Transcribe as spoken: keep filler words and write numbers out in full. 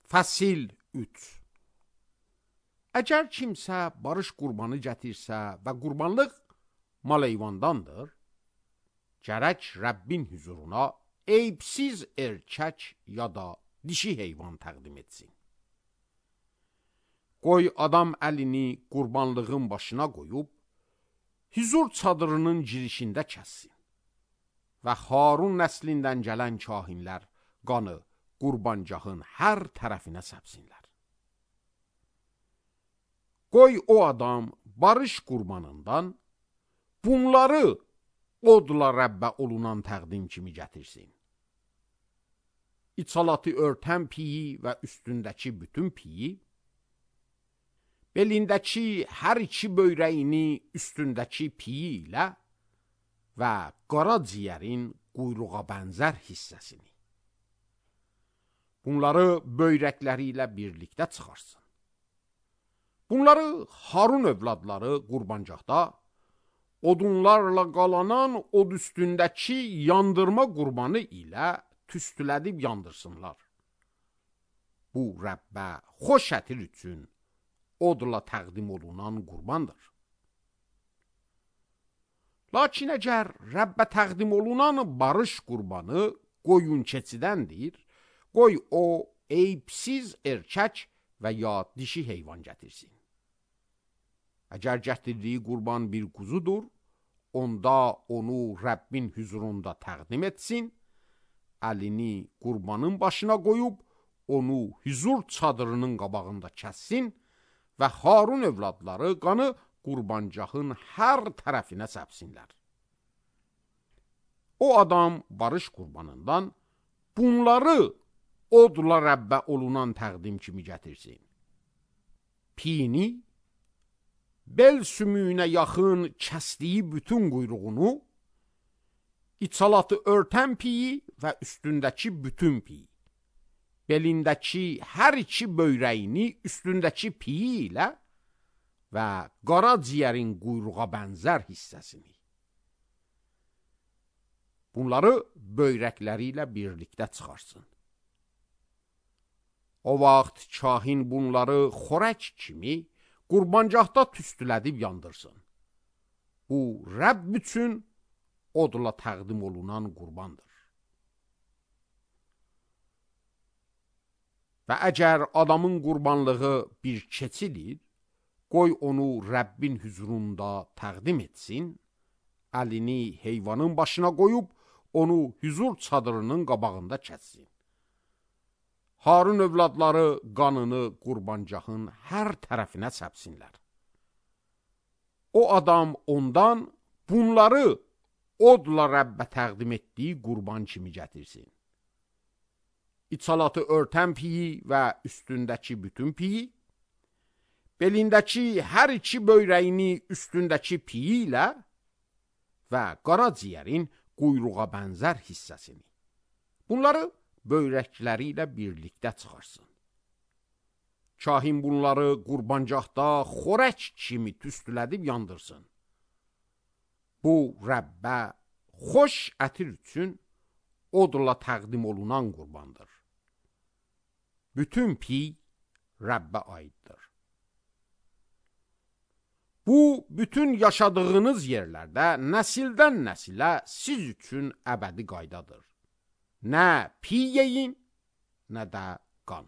Fəsil üç. Əgər kimsə barış qurbanı gətirsə və qurbanlıq mal heyvandandır, gərək Rəbbin huzuruna eyibsiz erkək ya da dişi heyvan təqdim etsin. Qoy adam əlini qurbanlığın başına qoyub, huzur çadırının girişində kəssin və Harun nəslindən gələn kahinlər qanı qurbancağın hər tərəfinə səpsinlər. Qoy o adam barış qurbanından bunları odla Rəbbə olunan təqdim kimi gətirsin. İçalatı örtən piyi və üstündəki bütün piyi, belindəki hər iki böyrəyini üstündəki piyi ilə və qara ciyərin quyruğa bənzər hissəsini. Bunları böyrəkləri ilə birlikdə çıxarsın. Bunları Harun övladları qurbancaqda odunlarla qalanan od üstündəki yandırma qurbanı ilə tüstülədib yandırsınlar. Bu Rəbbə xoş ətir üçün odla təqdim olunan qurbandır. Lakin əgər Rəbbə təqdim olunan barış qurbanı qoyun keçidəndir, qoy o eyibsiz erkək və ya dişi heyvan gətirsin. Əgər gətirdiyi qurban bir quzudur, onda onu Rəbbin huzurunda təqdim etsin, əlini qurbanın başına qoyub, onu huzur çadırının qabağında kəssin və Harun övladları qanı qurbancağın hər tərəfinə səpsinlər. O adam barış qurbanından bunları odla Rəbbə olunan təqdim kimi gətirsin. Piyini, bel sümüyünə yaxın kəsdiyi bütün quyruğunu, içalatı örtən piyi və üstündəki bütün piyi, belindəki hər iki böyrəyini üstündəki piyi ilə və qara ciyərin quyruğa bənzər hissəsini. Bunları böyrəkləri ilə birlikdə çıxarsın. O vaxt kahin bunları xorək kimi qurbancaqda tüstülədib yandırsın. Bu Rəbb üçün odla təqdim olunan qurbandır. Və əgər adamın qurbanlığı bir keçidir, qoy onu Rəbbin huzurunda təqdim etsin, əlini heyvanın başına qoyub, onu huzur çadırının qabağında kəssin. Harun övladları qanını qurbancağın hər tərəfinə səpsinlər. O adam ondan bunları odla Rəbbə təqdim etdiyi qurban kimi gətirsin. İçalatı örtən piyi və üstündəki bütün piyi, belindəki hər iki böyrəyini üstündəki piyi ilə və qara ciyərin quyruğa bənzər hissəsini. Bunları böyrəkləri ilə birlikdə çıxarsın. Kahin bunları qurbancaqda xorək kimi tüstülədib yandırsın. Bu Rəbbə xoş ətir üçün odla təqdim olunan qurbandır. Bütün piy Rəbbə aiddir. Bu, bütün yaşadığınız yerlərdə nəsildən nəsilə siz üçün əbədi qaydadır. Nə piy yeyin, nə də qan.